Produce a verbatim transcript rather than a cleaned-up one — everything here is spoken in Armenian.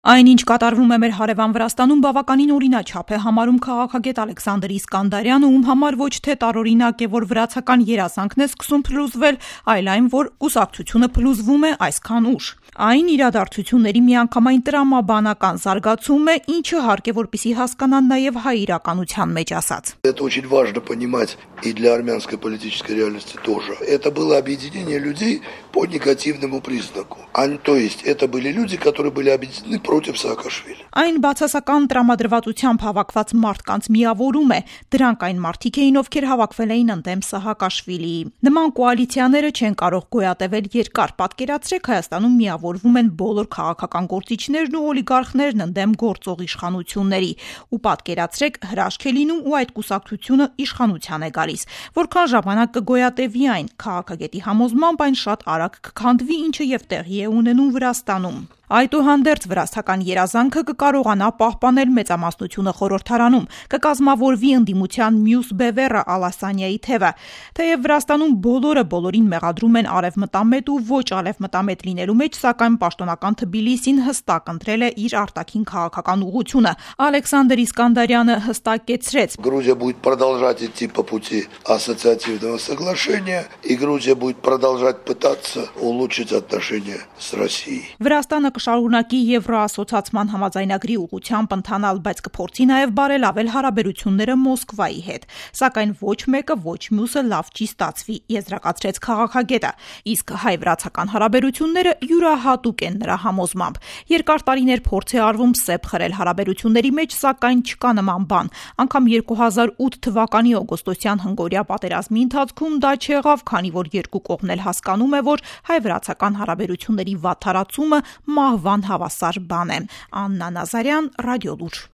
Այն, ինչ կատարվում է մեր հարևան Վրաստանում, բավականին օրինաչափ է համարում քաղաքագետ Ալեքսանդր Իսկանդարյանը, ում համար ոչ թե տարօրինակ է, որ վրացական երազանքն է սկսում փլուզվել, այլ այն, որ կուսակցությունը փլուզվում է այսքան ուշ։ Այն իրադարձությունների միանգամայն տրամաբանական զարգացում է, ինչը հարկ է, որպեսզի հասկանան նաև հայ իրականության մեջ ասած։ Это очень важно понимать и для армянской политической реальности тоже. Это было объединение людей по негативному признаку. А, то есть это были люди, которые были объединены против Սաակաշվիլի։ Այն բացասական տրամադրվածությամբ հավաքված մարդկանց միավորում է, դրանք այն մարդիկ էին, ովքեր հավաքվել էին ընդդեմ Սահակաշվիլիի։ Նման կոալիցիաները չեն կարող գոյատևել երկար։ Պատկերացրեք, Հայաստանում միավորվում են բոլոր քաղաքական գործիչներն ու օլիգարխներն ընդդեմ գործող իշխանությունների, ու պատկերացրեք, հրաշք է լինում ու այդ կուսակցությունը իշխանության է գալիս։ Որքան ժամանակ կգոյատևի այն, քաղաքագետի համոզմամբ այն շատ արագ կքանդվի, ինչը եւ տեղի է ունենում Վրաստանում։ Այդուհանդերձ վրացական երազանքը կկարողանա պահպանել մեծամասնությունը խորհրդարանում, կկազմավորվի ընդդիմության մյուս բևեռը Ալասանյայի թևը։ Թեև Վրաստանում բոլորը բոլորին մեղադրում են արևմտամետ ու ոչ արևմտամետ լինելու մեջ, սակայն պաշտոնական Թբիլիսին հստակ ընտրել է իր արտաքին քաղաքական ուղղությունը։ Ալեքսանդր Իսկանդարյանը հստակեցրեց. Грузия будет продолжать идти по пути ассоциативного соглашения, и Грузия будет продолжать пытаться улучшить отношения с Россией. Վրաստանը կշարունակի Եվրոասոցիացիան համաձայնագրի ուղղությամբ ընթանալ, բայց կփորձի նաև բարելավել հարաբերությունները Մոսկվայի հետ։ Սակայն ոչ մեկը, ոչ մյուսը լավ չի ստացվի, եզրակացրեց քաղաքագետը։ Իսկ հայ-վրացական հարաբերությունները յուրահատուկ են նրա համոզմամբ։ Երկար տարիներ փորձ է արվում սեպ խրել հարաբերությունների մեջ, սակայն չկա նման բան։ Անգամ երկու հազար ութ թվականի օգոստոսյան հնգօրյա պատերազմի ընթացքում դա չեղավ, քանի որ երկու կողմն էլ հասկանում է, որ հայ-վրացական հարաբերությունների վատթարացումը մահվան հավասար բան է։ Աննա Նազարյան, Ռադիոլուր։